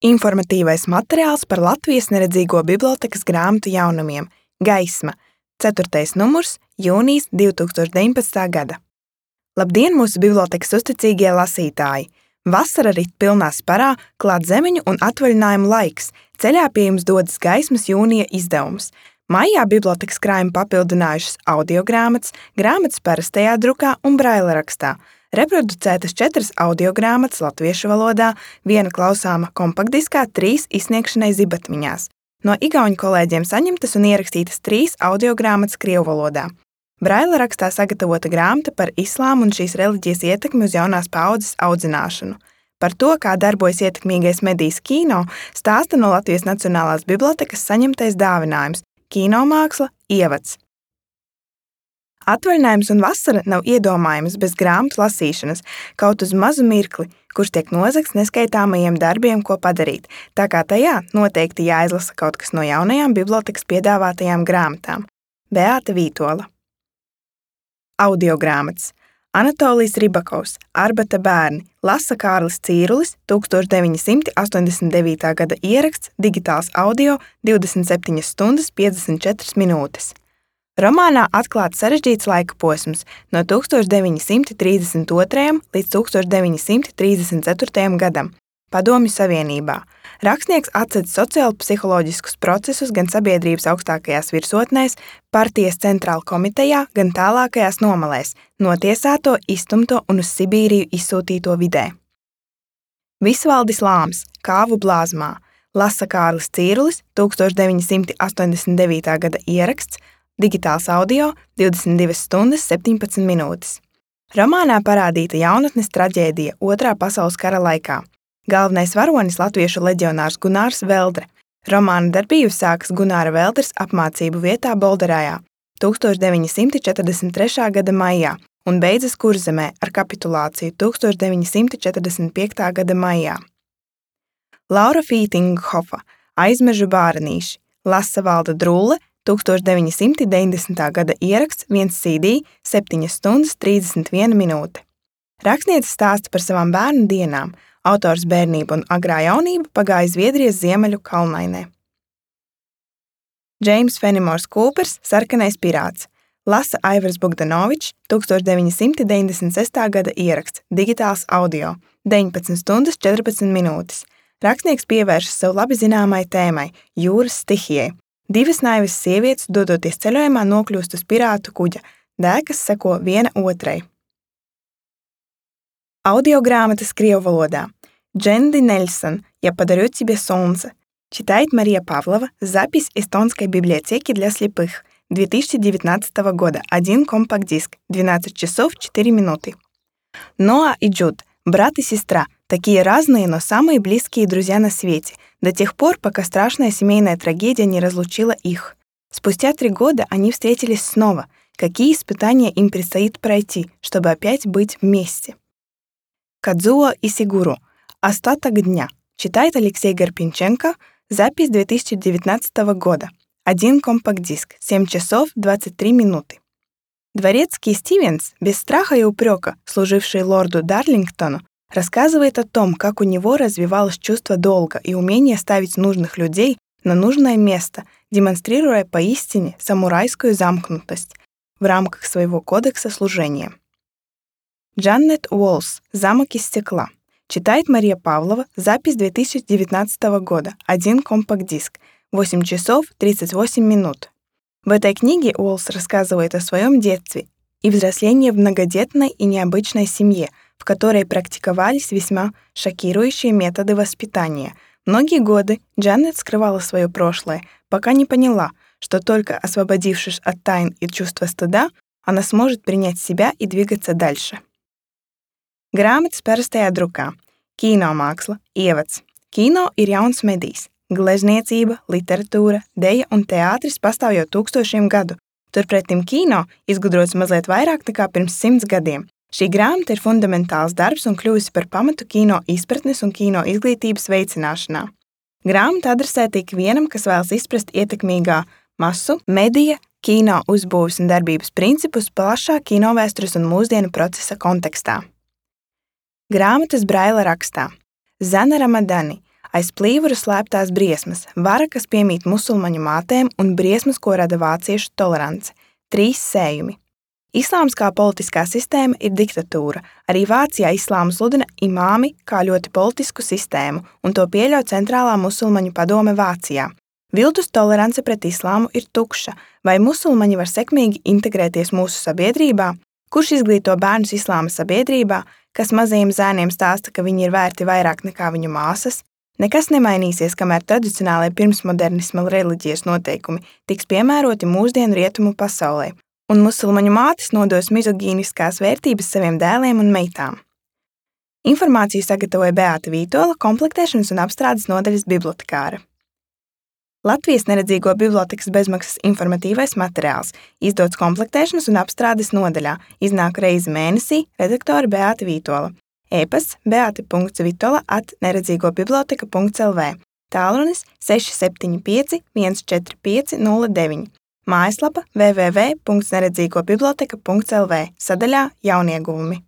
Informatīvais materiāls par Latvijas neredzīgo bibliotēkas grāmatu jaunumiem Gaisma, 4. numurs, jūnijas 2019. gada. Labdien, mūsu bibliotēkas uzticīgie lasītāji! Vasara rit pilnā sparā, klāt zemeņu un atvaļinājumu laiks. Ceļā pie jums dodas Gaismas jūnija izdevums. Maijā bibliotēkas krājumu papildinājušas audiogrāmatas, grāmatas parastajā drukā un braila rakstā. Reproducētas 4 audiogrāmatas latviešu valodā, 1 klausāma kompaktdiskā, 3 izsniegšanai zibatmiņās. No igauņu kolēģiem saņemtas un ierakstītas 3 audiogrāmatas krievu valodā. Braila rakstā sagatavota grāmata par islāmu un šīs reliģijas ietekmi uz jaunās paaudzes audzināšanu. Par to, kā darbojas ietekmīgais medijs kino, stāsta no Latvijas Nacionālās bibliotēkas saņemtais dāvinājums – kinomāksla ievads. Atvaļinājums un vasara nav iedomājamas bez grāmatu lasīšanas, kaut uz mazu mirkli, kurš tiek nozagts neskaitāmajiem darbiem, ko padarīt, tā kā tajā noteikti jāizlasa kaut kas no jaunajām bibliotēkas piedāvātajām grāmatām. Beāta Vītola. Audiogrāmatas. Anatolijas Ribakovs, Arbata bērni, lasa Kārlis Cīrulis, 1989. gada ieraksts, digitāls audio, 27 stundas 54 minūtes. Romānā atklāts sarežģīts laika posms no 1932. līdz 1934. gadam Padomju Savienībā. Rakstnieks atsedz sociālo-psiholoģiskus procesus gan sabiedrības augstākajās virsotnēs, partijas centrāla komitejā, gan tālākajās nomalēs, notiesāto, izstumto un uz Sibīriju izsūtīto vidē. Visvaldis Lāms, Kāvu blāzmā, lasa Kārlis Cīrulis, 1989. gada ieraksts, digitāls audio, 22 stundas 17 minūtes. Romānā parādīta jaunatnes traģēdija Otrā pasaules kara laikā. Galvenais varonis latviešu leģionārs Gunārs Veldre. Romāna darbība sākas Gunāra Veldres apmācību vietā Bolderājā 1943. gada maijā un beidzas Kurzemē ar kapitulāciju 1945. gada maijā. Laura Fītinghofa, Aizmežu bārenīši, lasa Valda Drulle, 1990. gada ieraksts, 1 CD, 7 stundas 31 minūte. Rakstniece stāsta par savām bērnu dienām. Autors bērnību un agrā jaunība pagāja Zviedrijas ziemeļu kalnainē. Džeims Fenimors Kūpers, Sarkanais pirāts, lasa Aivars Bogdanovičs, 1996. gada ieraksts, digitāls audio, 19 stundas 14 minūtes. Rakstnieks pievēršas sev labi zināmai tēmai – jūras stihijai. 2 naivas sievietes, dodoties ceļojumā, nokļūst uz pirātu kuģa. Dēkas seko viena otrai. Audiogrāmatas krievu валода. Дженди Нельсон, «Я подарю тебе солнце». Читает Мария Павлова. Запись эстонской библиотеки для слепых. 2019 года. 1 компакт-диск. 12 часов 4 минуты. Ноа и Джуд. Брат и сестра. Такие разные, но самые близкие друзья на свете. До тех пор, пока страшная семейная трагедия не разлучила их. Спустя 3 года они встретились снова. Какие испытания им предстоит пройти, чтобы опять быть вместе? Кадзуо Исигуру. «Остаток дня». Читает Алексей Гарпинченко. Запись 2019 года. 1 компакт-диск. 7 часов 23 минуты. Дворецкий Стивенс, без страха и упрека, служивший лорду Дарлингтону, рассказывает о том, как у него развивалось чувство долга и умение ставить нужных людей на нужное место, демонстрируя поистине самурайскую замкнутость в рамках своего кодекса служения. Джанет Уолс, «Замок из стекла». Читает Мария Павлова. Запись 2019 года. 1 компакт-диск. 8 часов 38 минут. В этой книге Уолс рассказывает о своем детстве и взрослении в многодетной и необычной семье, в которой практиковались весьма шокирующие методы воспитания. Многие годы Джанет скрывала свое прошлое, пока не поняла, что только освободившись от тайн и чувства стыда, она сможет принять себя и двигаться дальше. Grāmatas parastajā drukā. Kinomāksla ievads. Kino ir jauns medijs. Glezniecība, literatūra, deja un teātris pastāv jau tūkstošiem gadu. Turpretim kino izgudrots mazliet vairāk nekā pirms 100 gadiem. Šī grāmata ir fundamentāls darbs un kļuvusi par pamatu kino izpratnes un kino izglītības veicināšanā. Grāmata adresēta ikvienam, kas vēlas izprast ietekmīgā masu, medija, kino uzbūves un darbības principus plašā kinovēstures un mūsdienu procesa kontekstā. Grāmatas braila rakstā. Zana Ramadani, Aiz plīvura slēptās briesmas, vara, kas piemīt musulmaņu mātēm un briesmas, ko rada vāciešu tolerance. 3 sējumi. Islāms kā politiskā sistēma ir diktatūra. Arī Vācijā islāmu sludina imāmi kā ļoti politisku sistēmu, un to pieļauj Centrālā musulmaņu padome Vācijā. Viltus tolerance pret islāmu ir tukša. Vai musulmaņi var sekmīgi integrēties mūsu sabiedrībā? Kurš izglīto bērnus islāma sabiedrībā, kas mazajiem zēniem stāsta, ka viņi ir vērti vairāk nekā viņu māsas? Nekas nemainīsies, kamēr tradicionālajie pirmsmodernisma reliģijas noteikumi tiks piemēroti mūsdienu rietumu pasaulē, un musulmaņu mātes nodos mizogīniskās vērtības saviem dēliem un meitām. Informāciju sagatavoja Beāta Vītola, komplektēšanas un apstrādes nodaļas bibliotekāre. Latvijas neredzīgo bibliotekas bezmaksas informatīvais materiāls, izdots komplektēšanas un apstrādes nodaļā, iznāk reizi mēnesī, redaktore Beāta Vītola. E-pasts beata.vitola@neredzīgobiblioteka.lv, tālrunis 675 145 09, mājaslapa www.neredzīgobiblioteka.lv, sadaļā Jaunieguvumi.